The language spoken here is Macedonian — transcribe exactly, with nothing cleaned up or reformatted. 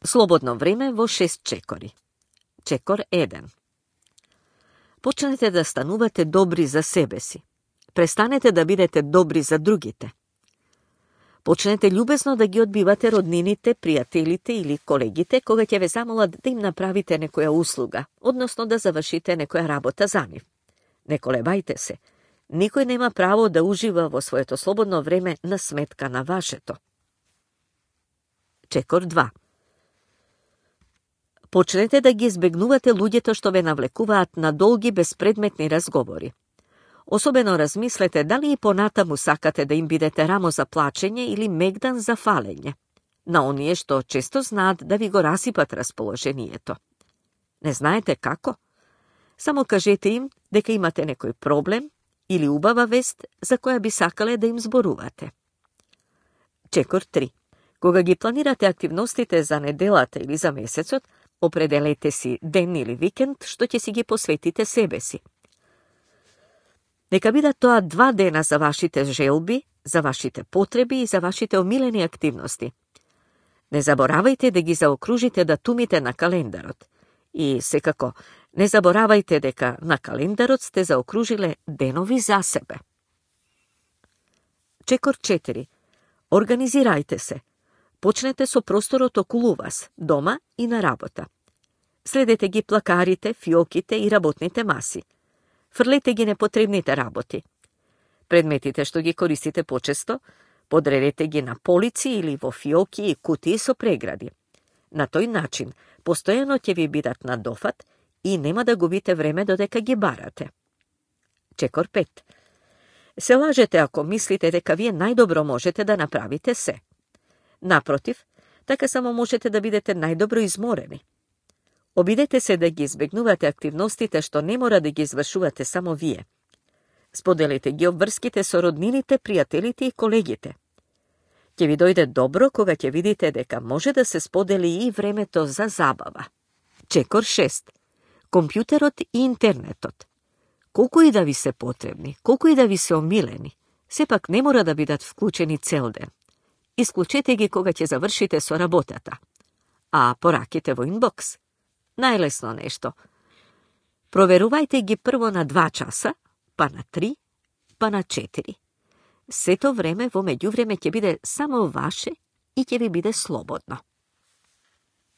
Слободно време во шест чекори. Чекор еден. Почнете да станувате добри за себе си. Престанете да бидете добри за другите. Почнете љубезно да ги одбивате роднините, пријателите или колегите кога ќе ве замолат да им направите некоја услуга, односно да завршите некоја работа за нив. Не колебајте се. Никој нема право да ужива во своето слободно време на сметка на вашето. Чекор два. Почнете да ги избегнувате луѓето што ве навлекуваат на долги безпредметни разговори. Особено размислете дали и понатаму сакате да им бидете рамо за плачење или мегдан за фалење, на оние што често знаат да ви го расипат расположението. Не знаете како? Само кажете им дека имате некој проблем или убава вест за која би сакале да им зборувате. Чекор три. Кога ги планирате активностите за неделата или за месецот, определете си ден или викенд што ќе си ги посветите себе си. Нека бидат тоа два дена за вашите желби, за вашите потреби и за вашите омилени активности. Не заборавајте да ги заокружите датумите на календарот. И секако, не заборавајте дека на календарот сте заокружиле денови за себе. Чекор четири. Организирајте се. Почнете со просторот околу вас, дома и на работа. Следете ги плакарите, фиоките и работните маси. Фрлете ги непотребните работи. Предметите што ги користите почесто, подредете ги на полици или во фиоки и кутии со прегради. На тој начин, постојано ќе ви бидат на дофат и нема да губите време додека ги барате. Чекор пет. Се лажете ако мислите дека вие најдобро можете да направите се. Напротив, така само можете да бидете најдобро изморени. Обидете се да ги избегнувате активностите што не мора да ги извршувате само вие. Споделите ги обврските со роднините, пријателите и колегите. Ќе ви дојде добро кога ќе видите дека може да се сподели и времето за забава. Чекор шест. Компјутерот и интернетот. Колку и да ви се потребни, колку и да ви се омилени, сепак не мора да бидат вклучени цел ден. Исклучете ги кога ќе завршите со работата. А пораките во инбокс? Најлесно нешто. Проверувајте ги прво на два часа, па на три, па на четири. Сето време во меѓувреме ќе биде само ваше и ќе ви биде слободно.